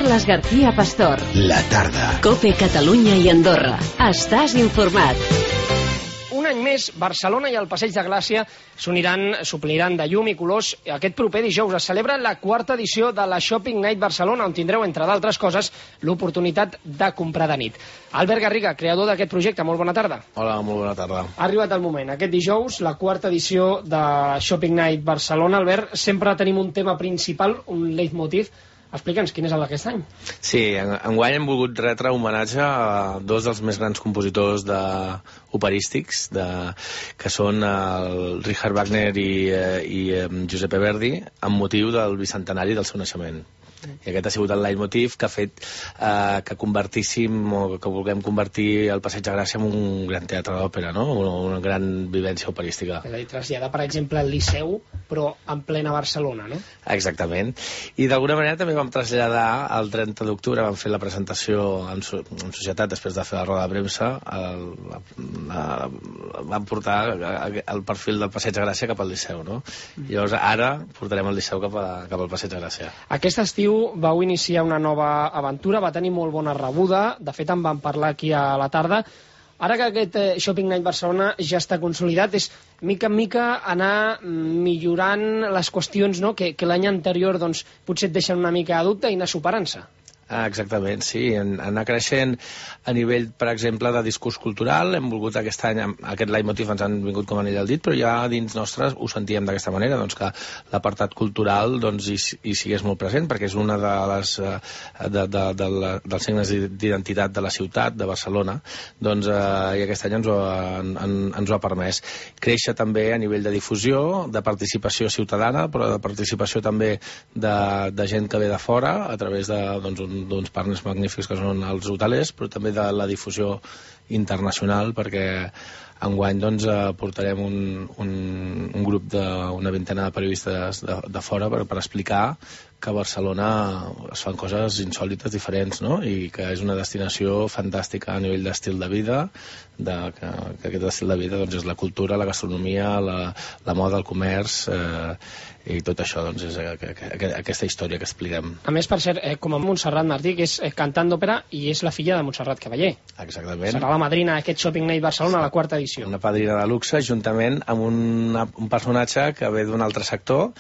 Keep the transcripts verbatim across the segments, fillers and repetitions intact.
Carles García Pastor. La tarda. COPE Catalunya i Andorra. Estàs informat. Un any més, Barcelona i el Passeig de Gràcia s'uniran, s'ompliran de llum i colors. Aquest proper dijous es celebra la quarta edició de la Shopping Night Barcelona, on tindreu, entre d'altres coses, l'oportunitat de comprar de nit. Albert Garriga, creador d'aquest projecte, molt bona tarda. Hola, molt bona tarda. Ha arribat el moment. Aquest dijous, la quarta edició de Shopping Night Barcelona. Albert, sempre tenim un tema principal, un leitmotiv. Explica'ns quin és el d'aquest any. Sí, enguany hem volgut retre homenatge a dos dels més grans compositors de operístics, de, que són el Richard Wagner i, i Giuseppe Verdi, amb motiu del bicentenari del seu naixement. I aquest ha sigut el leitmotiv que ha fet eh, que convertíssim o que vulguem convertir el Passeig de Gràcia en un gran teatre d'òpera, no? Una, una gran vivència operística. És a dir, traslladar, per exemple, el Liceu, però en plena Barcelona, no? Exactament. I d'alguna manera també vam traslladar el trenta d'octubre, vam fer la presentació en, so en societat després de fer la roda de premsa, el, la, la, vam portar el perfil del Passeig de Gràcia cap al Liceu, no? Mm. Llavors ara portarem el Liceu cap, a, cap al Passeig de Gràcia. Aquest estiu vau iniciar una nova aventura, va tenir molt bona rebuda, de fet en vam parlar aquí a la tarda. Ara que aquest Shopping Night Barcelona ja està consolidat, és mica en mica anar millorant les qüestions, no? que, que l'any anterior doncs, potser et deixen una mica de dubte i anar superant-se. Ah, exactament, sí. En, anar creixent a nivell, per exemple, de discurs cultural. Hem volgut aquest any, aquest leitmotiv ens han vingut com a anell al dit, però ja dins nostres ho sentíem d'aquesta manera, doncs que l'apartat cultural doncs, hi, hi sigués molt present, perquè és una de les de, de, de la, dels signes d'identitat de la ciutat, de Barcelona, doncs, eh, i aquest any ens ho, en, en, ens ho ha permès. Créixer també a nivell de difusió, de participació ciutadana, però de participació també de, de gent que ve de fora, a través de, doncs, un d'uns partners magnífics que són els hotelers, però també de la difusió internacional, perquè enguany doncs, portarem un, un, un grup d'una vintena de periodistes de, de fora per, per explicar que a Barcelona es fan coses insòlites, diferents, no? I que és una destinació fantàstica a nivell d'estil de vida, de, que, que aquest estil de vida doncs, és la cultura, la gastronomia, la, la moda, el comerç, eh, i tot això doncs, és aquesta història que expliquem. A més, per cert, eh, com a Montserrat Martí, que és eh, cantant d'òpera i és la filla de Montserrat Cavaller. Exactament. Serà la madrina d'aquest Shopping Night Barcelona, la quarta edició. Una padrina de luxe, juntament amb una, un personatge que ve d'un altre sector,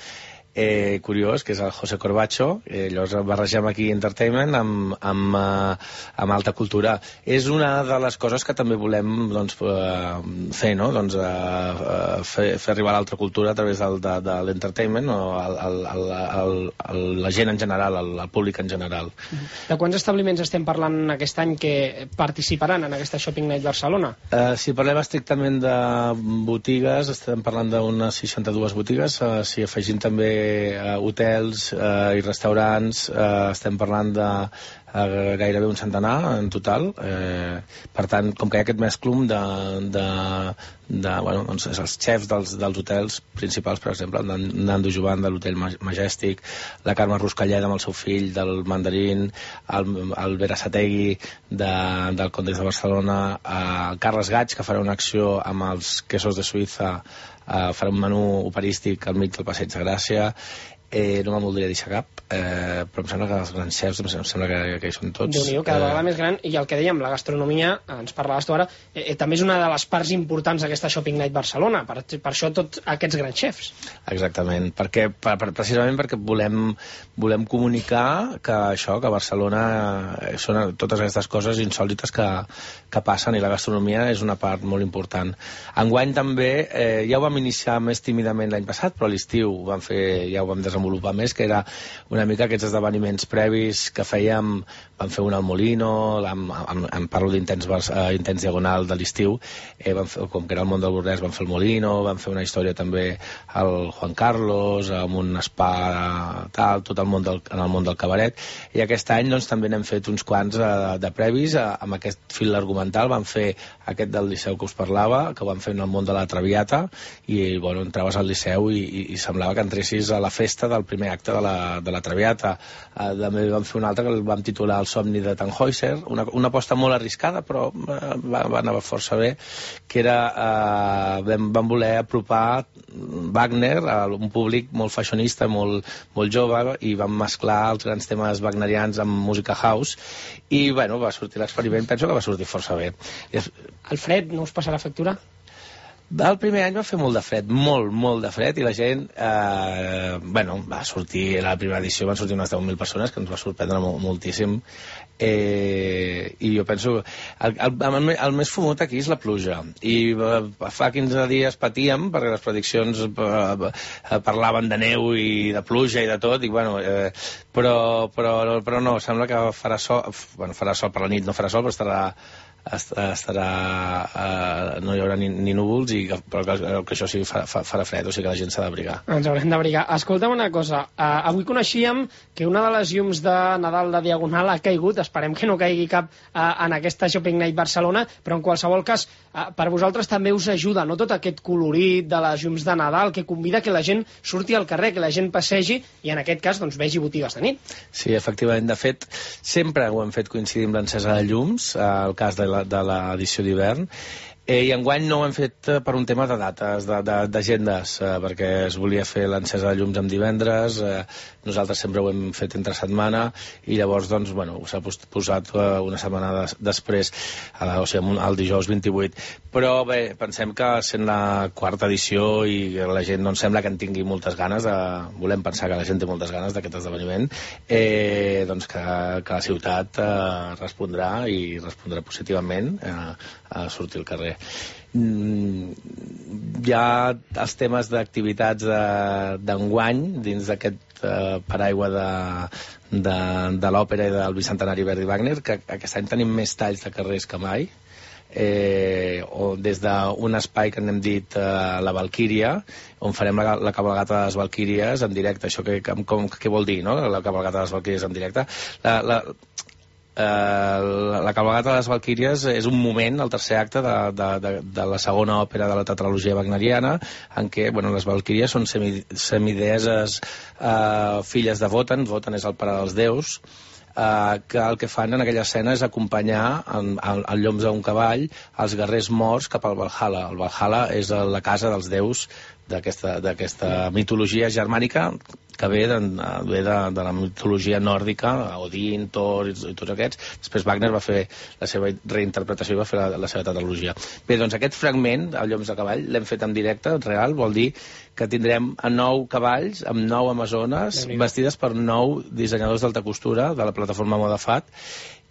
Eh, curiós, que és el José Corbacho. Eh, llavors barregem aquí entertainment amb, amb, uh, amb alta cultura. És una de les coses que també volem doncs, uh, fer, no? Doncs, uh, uh, fer, fer arribar l'altra cultura a través del, de, de l'entertainment, o el, el, el, el, el, la gent en general, el, el públic en general. De quants establiments estem parlant aquest any que participaran en aquesta Shopping Night Barcelona? Uh, si parlem estrictament de botigues, estem parlant d'unes seixanta-dues botigues. Uh, si afegim també Uh, hotels uh, i restaurants, uh, estem parlant de uh, gairebé un centenar en total. Uh, per tant, com que hi ha aquest mesclum de, de, de bueno, doncs els xefs dels, dels hotels principals, per exemple, el Nando Jovan de l'Hotel Majestic, la Carme Ruscalleda amb el seu fill del Mandarín, el, el Berasategui de, del Condes de Barcelona, uh, el Carles Gaig, que farà una acció amb els quesos de Suïssa, Uh, farà un menú operístic al mig del Passeig de Gràcia. Eh, no me'n voldria deixar cap, eh, però em sembla que els grans xefs, em sembla que, que hi són tots. Déu-n'hi-do, cada vegada eh... més gran, i el que dèiem, la gastronomia, ens parlaves tu ara, eh, eh, també és una de les parts importants d'aquesta Shopping Night Barcelona, per, per això tots aquests grans xefs. Exactament, perquè, per, per, precisament perquè volem, volem comunicar que això, que a Barcelona eh, són totes aquestes coses insòlites que, que passen, i la gastronomia és una part molt important. Enguany també, eh, ja ho vam iniciar més tímidament l'any passat, però a l'estiu ho vam fer, ja ho vam desenvolupar desenvolupar més, que era una mica aquests esdeveniments previs que fèiem. Vam fer un al Molino, amb, amb, amb parlo d'Intens uh, Intens Diagonal de l'estiu, eh, com que era el món del Bornès, vam fer el Molino, vam fer una història també al Juan Carlos, amb un spa tal, tot el món del, en el món del cabaret, i aquest any doncs, també n'hem fet uns quants uh, de previs, uh, amb aquest fil argumental. Vam fer aquest del Liceu que us parlava, que ho vam fer en el món de la Traviata, i bueno, entraves al Liceu i, i, i semblava que entressis a la festa del primer acte de la, de la Traviata. Uh, també vam fer una altra que el vam titular El somni de Tannhäuser, una, una aposta molt arriscada, però uh, va, va anar força bé, que era, uh, vam, vam voler apropar Wagner a un públic molt fashionista, molt, molt jove, i vam mesclar els grans temes wagnerians amb música house, i bueno, va sortir l'experiment, penso que va sortir força bé. El fred no us passarà factura? El primer any va fer molt de fred, molt, molt de fred, i la gent, eh, bueno, va sortir, a la primera edició van sortir unes deu mil persones, que ens va sorprendre moltíssim, eh, i jo penso, el, el, el, el més fumut aquí és la pluja, i eh, fa quinze dies patíem, perquè les prediccions eh, eh, parlaven de neu i de pluja i de tot, i bueno, eh, però, però, però no, sembla que farà sol, bueno, farà sol per la nit, no farà sol, però estarà estarà uh, no hi haurà ni, ni núvols, i, però que, que això sí fa, fa, farà fred, o sigui que la gent s'ha d'abrigar. Ens haurem d'abrigar. Escolta'm una cosa, uh, avui coneixíem que una de les llums de Nadal de Diagonal ha caigut, esperem que no caigui cap uh, en aquesta Shopping Night Barcelona, però en qualsevol cas uh, per vosaltres també us ajuda, no?, tot aquest colorit de les llums de Nadal, que convida que la gent surti al carrer, que la gent passegi i en aquest cas doncs vegi botigues de nit. Sí, efectivament, de fet sempre ho hem fet coincidir amb l'encesa de llums, el cas de de l'edició d'hivern, eh, i enguany no ho hem fet per un tema de dates, d'agendes, eh, perquè es volia fer l'encesa de llums amb divendres, eh, nosaltres sempre ho hem fet entre setmana, i llavors doncs, bueno, s'ha posat eh, una setmana des, després, eh, o sigui, el dijous vint-i-vuit, però bé, pensem que sent la quarta edició i la gent doncs, sembla que en tingui moltes ganes, de, volem pensar que la gent té moltes ganes d'aquest esdeveniment, eh, doncs que, que la ciutat eh, respondrà i respondrà positivament eh, a sortir al carrer. Mm, hi ha els temes d'activitats d'enguany dins d'aquest eh, paraigua de, de, de l'òpera i del bicentenari Verdi Wagner, que aquest any tenim més talls de carrers que mai, eh, o des d'un espai que n'hem dit eh, la Valquíria, on farem la, la cabalgata de les Valquíries en directe. Això que, com, què vol dir, no?, la cabalgata de les Valquíries en directe? La, la, Uh, la, la cabalgata de les Valquíries és un moment, el tercer acte de, de, de, de la segona òpera de la tetralogia wagneriana, en què, bueno, les Valquíries són semi, semideeses uh, filles de Wotan. Wotan és el pare dels déus, uh, que el que fan en aquella escena és acompanyar en, en, en lloms d'un cavall els guerrers morts cap al Valhalla. El Valhalla és la casa dels déus d'aquesta mitologia germànica, que ve de, ve de, de la mitologia nòrdica, Odin, Thor i, i tots aquests. Després Wagner va fer la seva reinterpretació i va fer la, la seva tetralogia. Bé, doncs aquest fragment, el Lloms de cavall, l'hem fet en directe, real, vol dir que tindrem a nou cavalls, amb nou amazones, vestides per nou dissenyadors d'alta costura de la plataforma Modafat,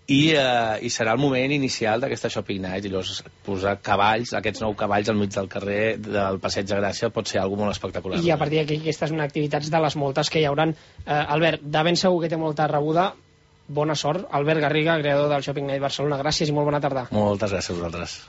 i, eh, i serà el moment inicial d'aquesta Shopping Night, i llavors posar cavalls, aquests nou cavalls al mig del carrer del Passeig de Gràcia pot ser algo molt espectacular. I a partir d'aquí aquesta és una activitat de les moltes que hi hauran. Eh, Albert, de ben segur que té molta rebuda, bona sort. Albert Garriga, creador del Shopping Night Barcelona, gràcies i molt bona tarda. Moltes gràcies a vosaltres.